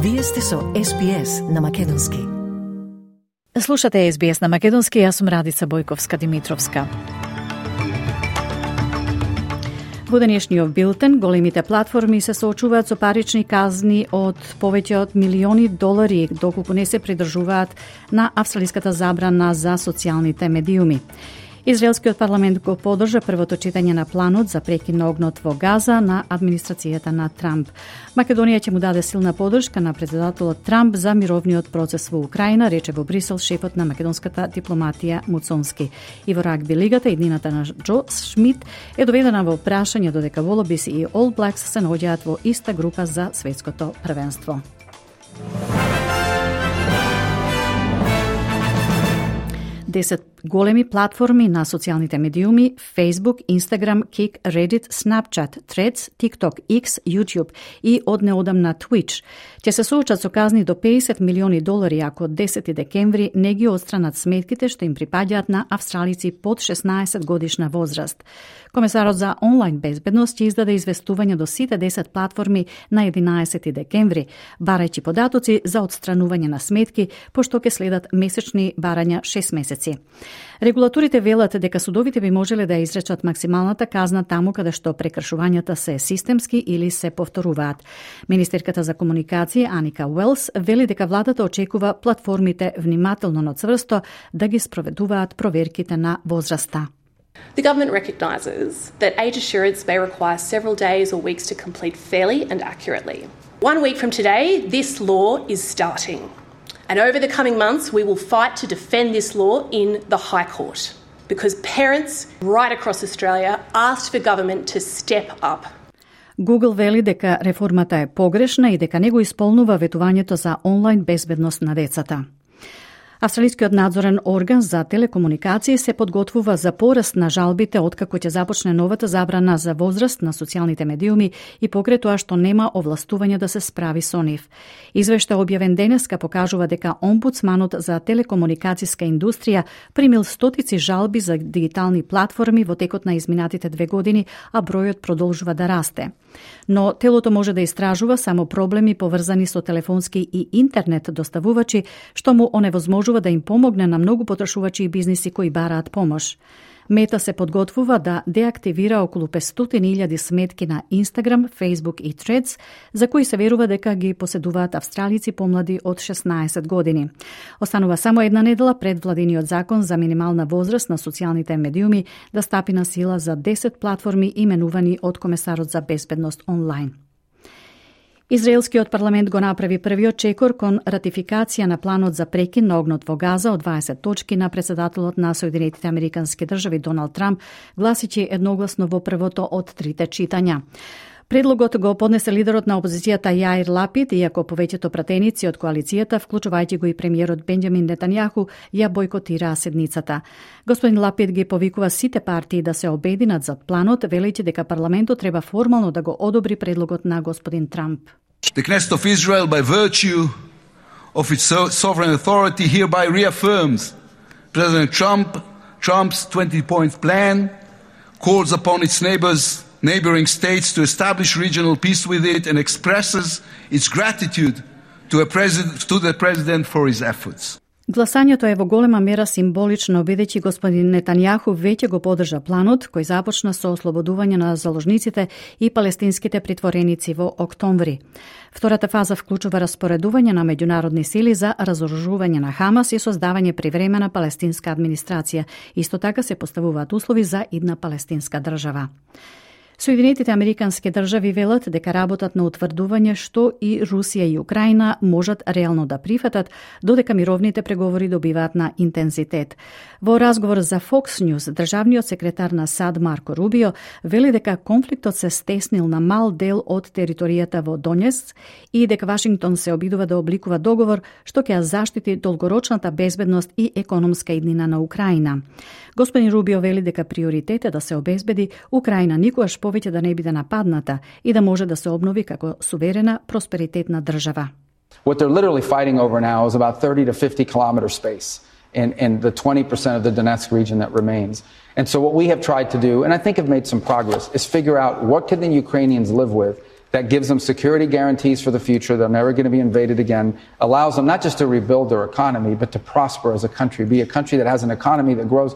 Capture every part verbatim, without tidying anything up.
Вие сте со Ес Би Ес на Македонски. Слушате Ес Би Ес на Македонски, јас сум Радица Бојковска-Димитровска. Во денешниот билтен, големите платформи се соочуваат со парични казни од повеќе од милиони долари, доколку не се придржуваат на австралиската забрана за социјалните медиуми. Израелскиот парламент го поддржа првото читање на планот за прекин на огнот во Газа на администрацијата на Трамп. Македонија ќе му даде силна поддршка на председателот Трамп за мировниот процес во Украина, рече во Брисел шефот на македонската дипломатија Муцонски. И во рагби лигата иднината на Џо Шмит е доведена во прашање додека Волобис и All Blacks се наоѓаат во иста група за светското првенство. десет големи платформи на социјалните медиуми Facebook, Instagram, Kik, Reddit, Snapchat, Threads, TikTok, X, YouTube и од неодамна Twitch ќе се соочат со казни до педесет милиони долари ако од десети декември не ги отстранат сметките што им припаѓаат на австралици под шеснаесет годишна возраст. Комесарот за онлайн безбедност ќе издаде известување до сите десет платформи на единаесети декември, барајќи податоци за отстранување на сметки, пошто ќе следат месечни барања шест месеци. Регулаторите велат дека судовите би можеле да изречат максималната казна таму каде што прекршувањата се системски или се повторуваат. Министерката за комуникација Аника Уелс вели дека владата очекува платформите внимателно, но цврсто да ги спроведуваат проверките на возраста. The government recognises that age assurance may require several days or weeks to complete fairly and accurately. One week from today, this law is starting. And over the coming months, we will fight to defend this law in the High Court because parents right across Australia asked for government to step up. Google вели дека реформата е погрешна и дека не го исполнува ветувањето за онлайн безбедност на децата. Австралискиот надзорен орган за телекомуникации се подготвува за пораст на жалбите откако ќе започне новата забрана за возраст на социјалните медиуми и покрај тоа што нема овластување да се справи со нив. Извештај објавен денеска покажува дека омбудсманот за телекомуникацијска индустрија примил стотици жалби за дигитални платформи во текот на изминатите две години, а бројот продолжува да расте. Но телото може да истражува само проблеми поврзани со телефонски и интернет доставувачи, што му оневозможува да им помогне на многу потрошувачи и бизниси кои бараат помош. Мета се подготвува да деактивира околу петстотини илјади сметки на Instagram, Facebook и Threads, за кои се верува дека ги поседуваат австралици помлади од шеснаесет години. Останува само една недела пред владиниот закон за минимална возраст на социјалните медиуми да стапи на сила за десет платформи именувани од комесарот за безбедност онлайн. Израелскиот парламент го направи првиот чекор кон ратификација на планот за прекин на огнот во Газа од дваесет точки на председателот на Соединетите Американски држави Доналд Трамп, гласичи едногласно во првото од трите читања. Предлогот го поднесе лидерот на опозицијата Јаир Лапид, иако повеќето пратеници од коалицијата, вклучувајќи го и премиерот Бенџамин Нетањаху, ја бойкотираа седницата. Господин Лапид ги повикува сите партии да се обединат зад планот, велејќи дека парламентот треба формално да го одобри предлогот на господин Трамп. The Knesset of Israel, by virtue of its sovereign authority, hereby reaffirms President Trump, Trump's twenty-point plan, calls upon its neighbors neighboring states to establish regional peace with it, and expresses its gratitude to, a president, to the President for his efforts. Гласањето е во голема мера символично, бидејќи господин Нетањаху веќе го поддржа планот, кој започна со ослободување на заложниците и палестинските притвореници во октомври. Втората фаза вклучува распоредување на меѓународни сили за разоружување на Хамас и создавање привремена палестинска администрација. Исто така се поставуваат услови за идна палестинска држава. Соединетите Американски држави велат дека работат на утврдување што и Русија и Украина можат реално да прифатат, додека мировните преговори добиваат на интензитет. Во разговор за Fox News, државниот секретар на САД Марко Рубио вели дека конфликтот се стеснил на мал дел од територијата во Донецк и дека Вашингтон се обидува да обликува договор што ќе ја заштити долгорочната безбедност и економска иднина на Украина. Господин Рубио вели дека приоритет е да се обезбеди Украина никогаш повеќе да не биде нападната и да може да се обнови како суверена, просперитетна држава. What they're literally fighting over now is about thirty to fifty kilometer space in, in the twenty percent of the Donetsk region that remains. And so what we have tried to do, and I think have made some progress, is figure out what can the Ukrainians live with that gives them security guarantees for the future, they're never going to be invaded again, allows them not just to rebuild their economy, but to prosper as a country, be a country that has an economy that grows.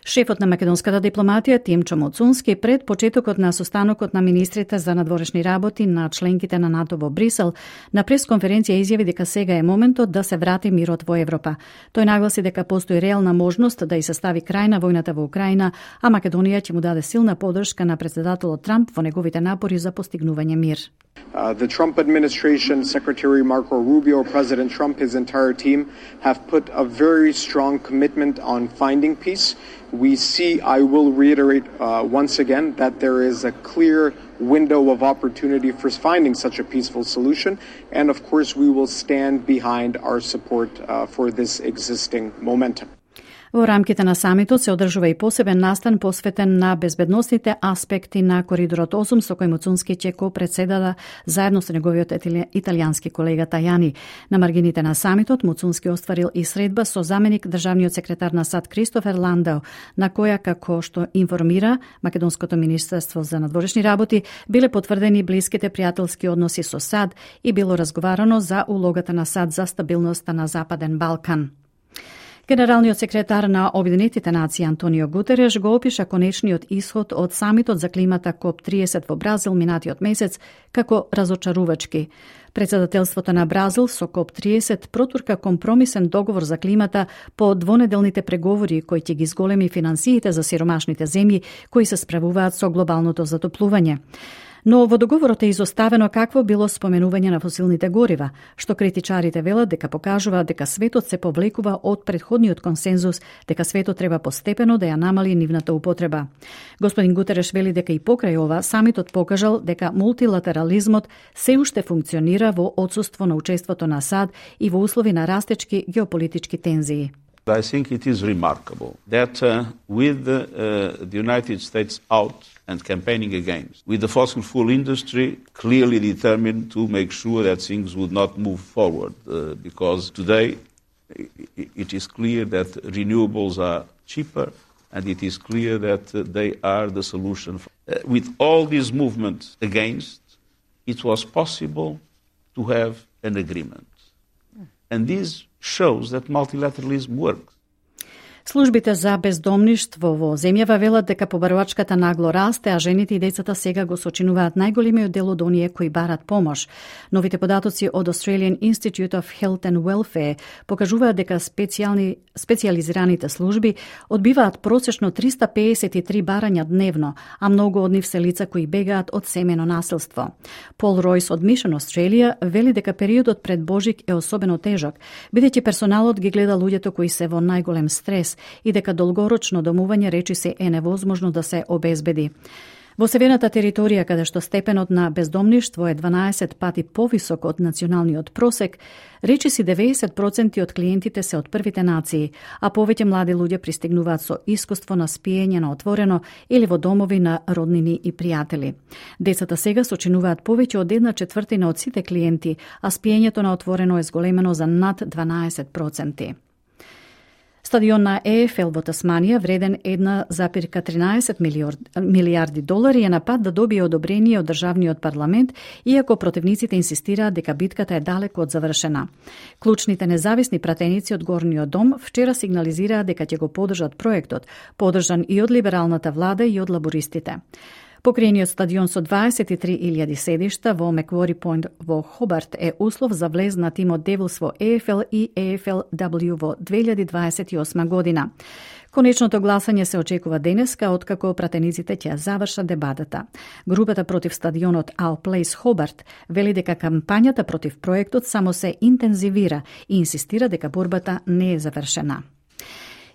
Шефот на македонската дипломатија Тимчо Моцунски пред почетокот на состанокот на министрите за надворешни работи на членките на НАТО во Брисел на пресконференција изјави дека сега е моментот да се врати мирот во Европа. Тој нагласи дека постои реална можност да и се стави крај на војната во Украина, а Македонија ќе му даде силна поддршка на претседателот Трамп во неговите напори за постигнување мир. Uh, the Trump administration, Secretary Marco Rubio, President Trump, his entire team have put a very strong commitment on finding peace. We see, I will reiterate uh, once again, that there is a clear window of opportunity for finding such a peaceful solution. And of course, we will stand behind our support uh, for this existing momentum. Во рамките на самитот се одржува и посебен настан посветен на безбедносните аспекти на Коридорот осум, со кој Моцунски ќе ко-председава заедно со неговиот италијански колега Тајани. На маргините на самитот Моцунски остварил и средба со заменик државниот секретар на САД Кристофер Ландау, на која, како што информира Македонското министерство за надворешни работи, биле потврдени блиските пријателски односи со САД и било разговарано за улогата на САД за стабилноста на Западен Балкан. Генералниот секретар на Обединетите нации Антонио Гутереш го опиша конечниот исход од самитот за климата коп триесет во Бразил минатиот месец како разочарувачки. Председателството на Бразил со коп триесет протурка компромисен договор за климата по двонеделните преговори кои ќе ги зголеми финансиите за сиромашните земји кои се справуваат со глобалното затоплување. Но во договорот е изоставено какво било споменување на фосилните горива, што критичарите велат дека покажува дека светот се повлекува од претходниот консензус, дека светот треба постепено да ја намали нивната употреба. Господин Гутереш вели дека и покрај ова самитот покажал дека мултилатерализмот се уште функционира во отсуство на учеството на САД и во услови на растечки геополитички тензии. I think it is remarkable that uh, with uh, the United States out and campaigning against, with the fossil fuel industry clearly determined to make sure that things would not move forward, uh, because today it is clear that renewables are cheaper and it is clear that uh, they are the solution. Uh, with all these movements against, it was possible to have an agreement. And this shows that multilateralism works. Службите за бездомништво во земјава велат дека побарувачката нагло расте, а жените и децата сега го сочинуваат најголемиот дел од оние кои барат помош. Новите податоци од Australian Institute of Health and Welfare покажуваат дека специјални специјализираните служби одбиваат просечно триста педесет и три барања дневно, а многу од нив се лица кои бегаат од семено насилство. Пол Ройс од Mission Australia вели дека периодот пред Божик е особено тежок, бидејќи персоналот ги гледа луѓето кои се во најголем стрес и дека долгорочно домување речи се е невозможно да се обезбеди. Во северната територија, каде што степенот на бездомништво е дванаесет пати повисок од националниот просек, речи си деветдесет проценти од клиентите се од првите нации, а повеќе млади луѓе пристигнуваат со искуство на спиење на отворено или во домови на роднини и пријатели. Децата сега сочинуваат повеќе од една четвртина од сите клиенти, а спиењето на отворено е зголемено за над дванаесет проценти. Стадион на Е Еф Ел во Тасманија, вреден една запирка тринаесет милиарди долари, е на пат да добие одобрение од државниот парламент, иако противниците инсистираат дека битката е далеку од завршена. Клучните независни пратеници од Горниот дом вчера сигнализираат дека ќе го поддржат проектот, поддржан и од либералната влада и од лабористите. Покриениот стадион со дваесет и три илјади седишта во Маквори Пойнт во Хобарт е услов за влез на тимот Девилс во Е Еф Ел и Е Еф Ел Дабљу во две илјади дваесет и осма година. Конечното гласање се очекува денеска, откако пратениците ќе завршат дебатата. Групата против стадионот Our Place Хобарт вели дека кампањата против проектот само се интензивира и инсистира дека борбата не е завршена.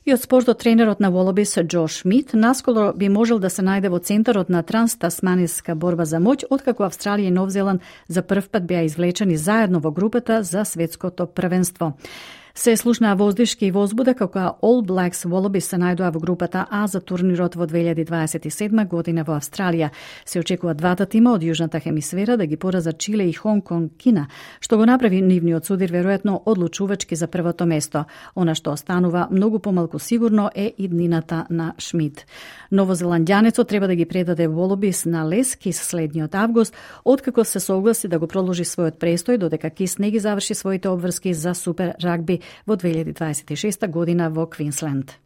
И од спортот, тренерот на Волобис Џо Шмит наскоро би можел да се најде во центарот на транстасманска борба за моќ, откако Австралија и Нов Зеланд за прв пат беа извлечени заедно во групата за светското првенство. Се слушнаа воздишки и возбуда како All Blacks Wallabies се најдоа во групата А за турнирот во две илјади дваесет и седма година во Австралија. Се очекува двата тима од јужната хемисфера да ги поразат Чиле и Хонг Конг Кина, што го направи нивниот судир веројатно одлучувачки за првото место. Она што останува многу помалку сигурно е иднината на Шмид. Новозеландјанецот треба да ги предаде Wallabies на Les Кис следниот август, откако се согласи да го продолжи својот престој додека Кис не ги заврши своите обврски за Супер рагби во две илјади дваесет и шеста година во Квинсленд.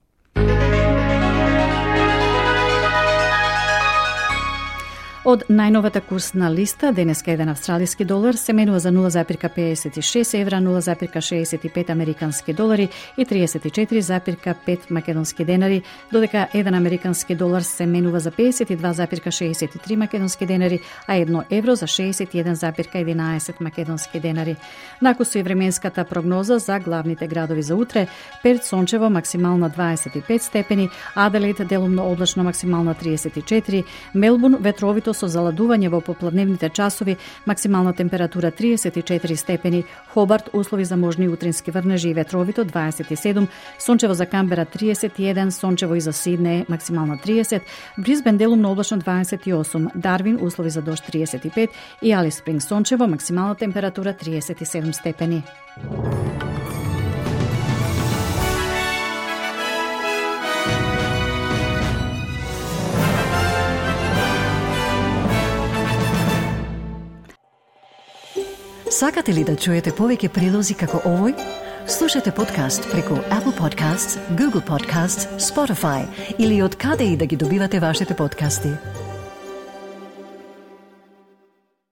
Од најновата курсна листа, денеска еден австралиски долар се менува за нула запирка педесет и шест евра, нула запирка шеесет и пет американски долари и триесет и четири запирка пет македонски денари, додека еден американски долар се менува за педесет и два запирка шеесет и три македонски денари, а едно евро за шеесет и еден запирка единаесет македонски денари. Накусу и временската прогноза за главните градови за утре: Перт сончево, максимална дваесет и пет степени, Аделаид делумно облачно, максимална триесет и четири, Мелбурн ветровито со заладување во попладневните часови, максимална температура триесет и четири степени, Хобарт услови за можни утрински врнежи и ветровито дваесет и седум, сончево за Камбера триесет и еден, сончево и за Сиднеј максимална триесет, Брисбен делумно облачно дваесет и осум, Дарвин услови за дожд триесет и пет и Алис Спринг сончево, максимална температура триесет и седум степени. Сакате ли да чуете повеќе прилози како овој? Слушате подкаст преку Apple Podcasts, Google Podcasts, Spotify или од каде и да ги добивате вашите подкасти.